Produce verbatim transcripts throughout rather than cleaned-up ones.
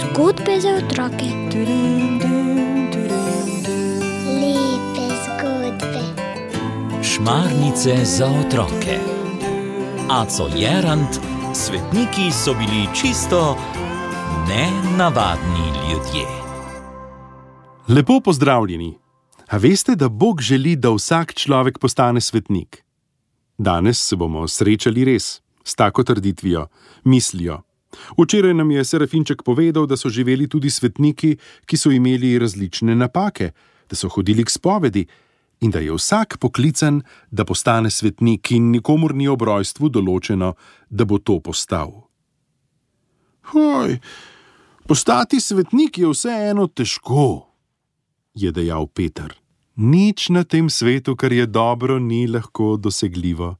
Zgodbe za otroke. Lepe zgodbe. Šmarnice za otroke. Aco Jerant, svetniki so bili čisto nenavadni ljudje. Lepo pozdravljeni. A veste, da Bog želi, da vsak človek postane svetnik? Danes se bomo srečali res s tako trditvijo, mislijo. Včeraj nam je Serafinček povedal, da so živeli tudi svetniki, ki so imeli različne napake, da so hodili k spovedi in da je vsak poklican, da postane svetnik in nikomur ni ob rojstvu določeno, da bo to postal. Hoj, postati svetnik je vseeno težko, je dejal Peter. Nič na tem svetu, kar je dobro, ni lahko dosegljivo.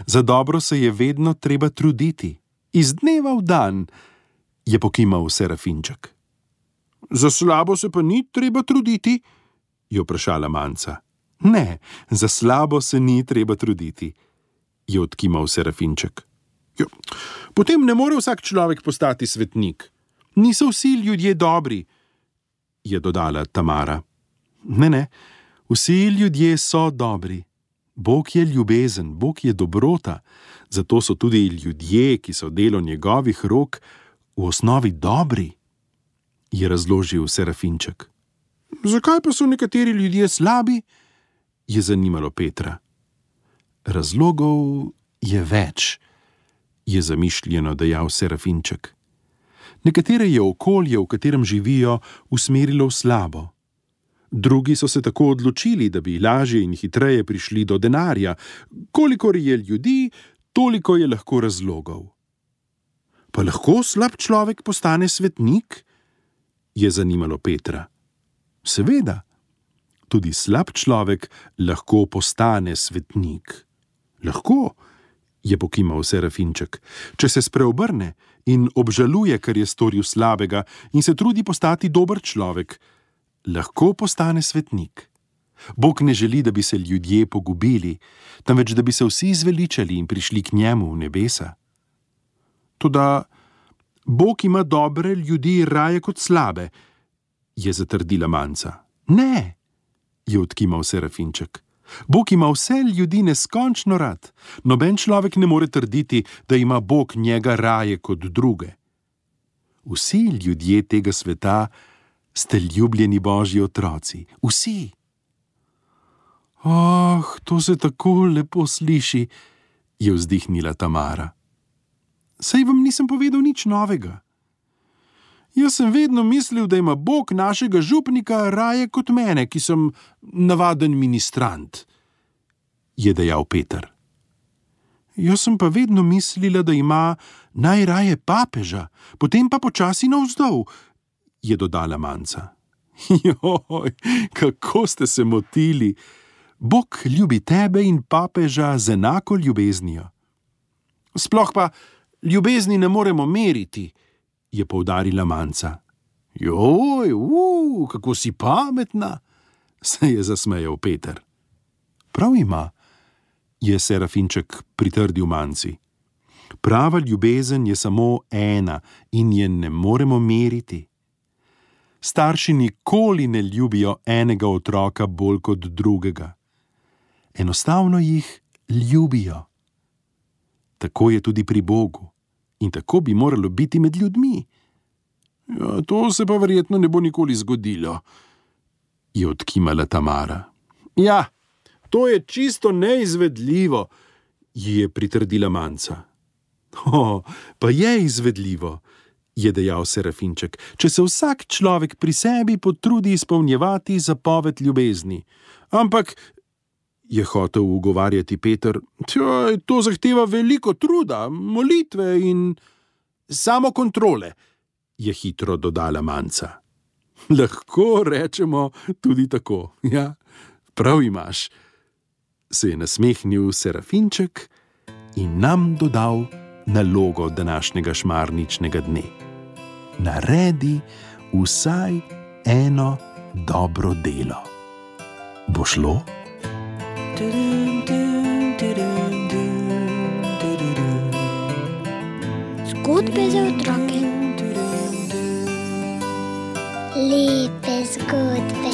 Za dobro se je vedno treba truditi. Iz dneva v dan, je pokimal Serafinček. Za slabo se pa ni treba truditi, je vprašala Manca. Ne, za slabo se ni treba truditi, je odkimal Serafinček. Jo, potem ne more vsak človek postati svetnik. Niso vsi ljudje dobri, je dodala Tamara. Ne, ne, vsi ljudje so dobri. Bog je ljubezen, Bog je dobrota, zato so tudi ljudje, ki so delo njegovih rok, v osnovi dobri, je razložil Serafinček. Zakaj pa so nekateri ljudje slabi? Je zanimalo Petra. Razlogov je več, je zamišljeno dejal Serafinček. Nekatere je okolje, v katerem živijo, usmerilo v slabo. Drugi so se tako odločili, da bi lažje in hitreje prišli do denarja. Kolikor je ljudi, toliko je lahko razlogov. Pa lahko slab človek postane svetnik? Je zanimalo Petra. Seveda, tudi slab človek lahko postane svetnik. Lahko, je pokimal Serafinček, če se spreobrne in obžaluje, kar je storil slabega in se trudi postati dober človek. Lahko postane svetnik. Bog ne želi, da bi se ljudje pogubili, temveč da bi se vsi zveličali in prišli k njemu v nebesa. Toda Bog ima dobre ljudi raje kot slabe, je zatrdila Manca. Ne, je odkimal Serafinček. Bog ima vse ljudi neskončno rad. Noben človek ne more trditi, da ima Bog njega raje kot druge. Vsi ljudje tega sveta ste ljubljeni Božji otroci. Vsi. Oh, to se tako lepo sliši, je vzdihnila Tamara. Saj vam nisem povedal nič novega. Jaz sem vedno mislil, da ima Bog našega župnika raje kot mene, ki sem navaden ministrant, je dejal Peter. Jaz sem pa vedno mislila, da ima najraje papeža, potem pa počasi navzdol, je dodala Manca. Joj, kako ste se motili. Bog ljubi tebe in papeža z enako ljubeznijo. Sploh pa ljubezni ne moremo meriti, je poudarila Manca. Joj, uu, kako si pametna, se je zasmejal Peter. Prav ima, je Serafinček pritrdil Manci. Prava ljubezen je samo ena in je ne moremo meriti. Starši nikoli ne ljubijo enega otroka bolj kot drugega. Enostavno jih ljubijo. Tako je tudi pri Bogu in tako bi moralo biti med ljudmi. Ja, to se pa verjetno ne bo nikoli zgodilo, je odkimala Tamara. Ja, to je čisto neizvedljivo, ji je pritrdila Manca. O, pa je izvedljivo, je dejal Serafinček, če se vsak človek pri sebi potrudi izpolnjevati zapoved ljubezni. Ampak, je hotel ugovarjati Peter, to zahteva veliko truda, molitve in samokontrole, je hitro dodala Manca. Lahko rečemo tudi tako, ja, prav imaš, se je nasmehnil Serafinček in nam dodal nalogo današnjega šmarničnega dne. Naredi vsaj eno dobro delo. Bo šlo? Zgodbe za otroke. Lepe zgodbe.